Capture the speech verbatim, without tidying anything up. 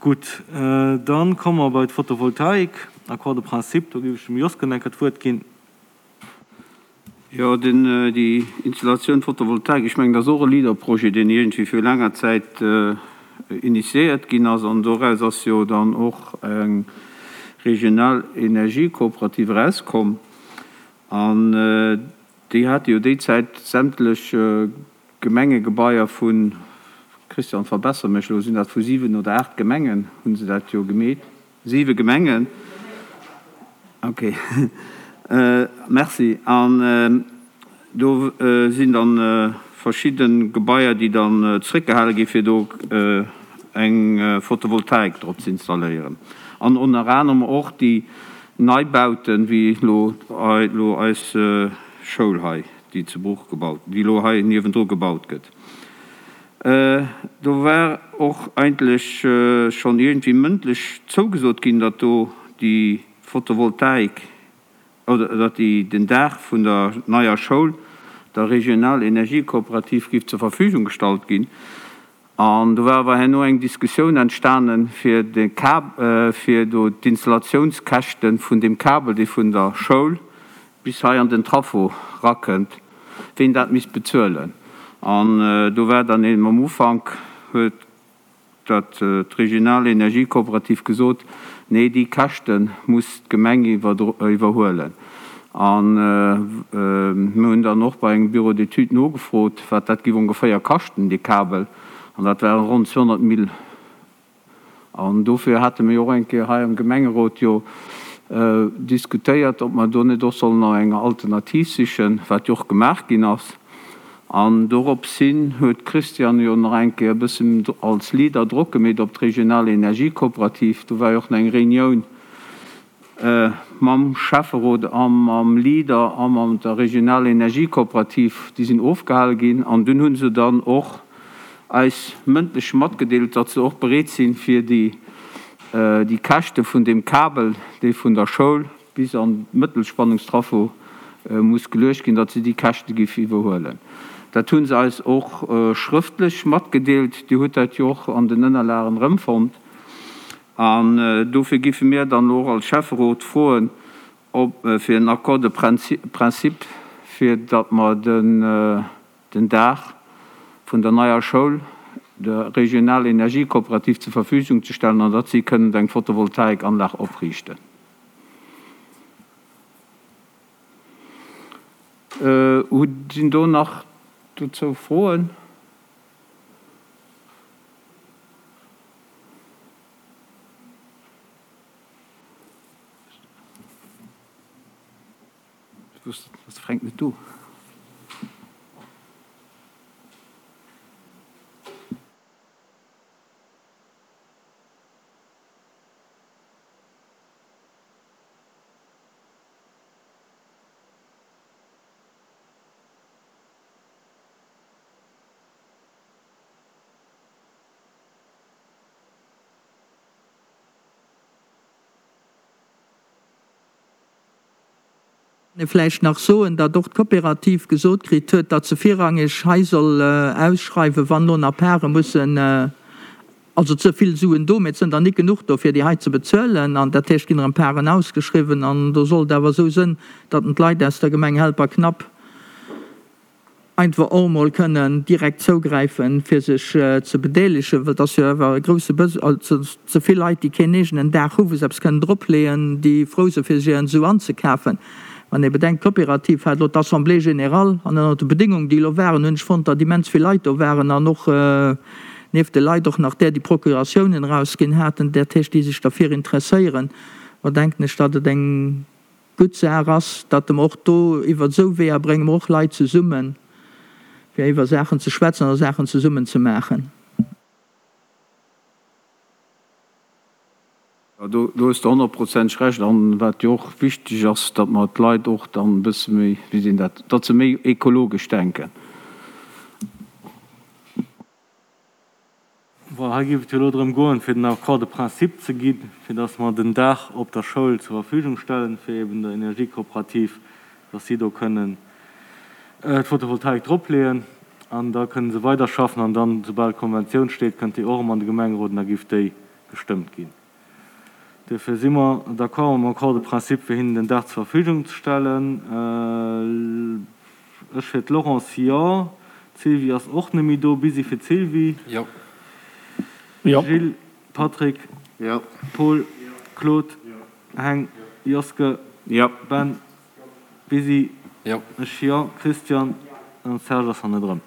Gutt, dann komme mer bei d'Photovoltaik, Accord de principe. Do géif ech dem Josgen eng Kéier d'Wuert ginn. Jo, den, déi Installatioun Photovoltaik, ech mengen, dat ass och e Leader-Projet, deen iergendwéi viru laanger Zäit initiéiert ginn ass. An doraus ass jo dann och eng regional Energiekooperativ erauskomm. An déi hate jo déi Zäit sämtlech Gemengegebaier vun, Christian, verbesser mech elo, sinn dat vu siwen oder aacht Gemengen, hu se dat jo gemeet? Siwe Gemengen. Okay, merci. An do sinn dann verschidde Gebaier, déi dann zréckgehale gi fir do eng Photovoltaik drop ze installéieren. An ënner anerem och déi Neibauten, wéi elo elo eis Schoul hei, déi zu Bruch gebaut, déi elo hei niewendru gebaut gëtt. Do war och eigentlech schonn iergendwéi mëndlech zougesot ginn, datt do déi Photovoltaik oder datt déi den Daach vun der neier Schoul der Regional Energiekooperativ géif zur Verfügung gestallt ginn. An do war awer herno eng Diskussioun entstanen, fir de Kab, fir do d'Installatiounskäschte vun deem Kabel, dee vun der Schoul bis hei an den Traffo rakënnt, ween dat misst bezuelen. An do war dann eben am Ufank, huet dat d'Regional Energiekooperativ gesot, nee, déi Käschte muss d'Gemeng iwwerhuelen. A mir hunn dann och bei engem Bureau d'études nogefrot, wat dat géif ongeféier kaschten, dee Kabel, an dat ware ronn zweehonnert Mille. An dofir hate mir jo och eng Kéier hei am Gemengerot jo diskutéiert, ob mer do net och sollen no enger Alternativ sichen, wat jo och gemaach ginn ass. An doropshin huet d'Christiane jo nach eng Kéier e bëssen als Leader Drock gemeet op d'Regional Energiekooperativ. Do war jo och nach eng Reunioun mam Schäfferot a mam Leader a mam der Regional Energiekooperativ, déi sinn ofgehale ginn. An dunn hu se dann och eis mëndlech matgedeelt, datt se och bereet sinn, fir déi déi Käschte vun deem Kabel, dee vun der Schoul bis an d'Mëttelspannungstraffo muss geluecht ginn, datt se déi Käschte géif iwwerhuelen. Dat hu se eis och schrëftlech matgedeelt. Dir hutt dat jo och an den Ënnerlagen erëmfonnt. An dofir géife mir dann elo och als Schäfferot froen, ob fir en Accord de principe, fir datt mer den Daach vun der neier Schoul der Regional Energiekooperativ zur Verfügung ze stellen an datt si kënnen eng Photovoltaikanlag opriichten. Sinn do nach dozou Froen? Ech wusst, ass de Fränk net do? Vläicht nach soen, datt och d'Kooperativ gesot kritt huet, datt se virrangeg hei soll ausschreiwen, wann elo nach Pare mussen, also ze vill Suen do, mee et sënn der nik genuch do, fir déi hei ze bezuelen. An dat heescht, ginn erëm Paren ausgeschriwwen. An do sollt awer esou sënn, datt en d'Leit aus der Gemeng Helperknapp einfach och emol kënnen direkt zougräifen, fir sech ze bedeelegen, well et ass jo awer e grouse Besoin, also ze vill Leit, déi keen eegenen Daach hu wou se eppes kënnen dropleeën, déi frou sinn, fir sech hiren Su anzekafen. Wann ee bedenkt, d'Coopérative hat elo d'Assemblée générale, an ënner de Bedingungen, déi elo waren, hunn ech fonnt, datt immens vill Leit do waren an och nieft de Leit och nach där, déi Procuratiounen erausginn haten, dat heescht, déi sech derfir interesséieren, da denken ech, datt et eng gutt Saach ass, datt mer och do iwwer esou Weeër brénge mer och Leit zesummen, fir iwwer Saachen ze schwätzen oder Saachen zesummen ze maachen. Jo, do hues de honnertprozenteg Recht. An wat jo och wichteg ass, datt mer d'Leit och dann e bësse méi, wéi seet een dat, datt se méi ekologesch denken. Voilà, hei géif et jo elo drëm goen, fir den Accord de principe ze ginn, fir datt mer den Daach op der Schoul zur Verfügung stellen, fir eben der Energiekooperativ, datt si do kënnen d'Photovoltaik dropleeën an da kënne se weiderschaffen. An dann, soubal d'Konventioun steet, kënnt déi och erëm an de Gemengerot an da géif déi gestëmmt ginn. Duerfir si mer d'accord mam Accord de principe, fir hinnen den Daach zur Verfügung ze stellen. Ech fir d'Laurence, jo. D'Sylvie ass och net méi do. Busy fir d'Sylvie. Jo. Gilles, Patrick, Jo. Paul, Claude, Heng, Joske, Jo. Ben, Busy, Jo. Ech, jo. Christian an Serge ass hannendrëm.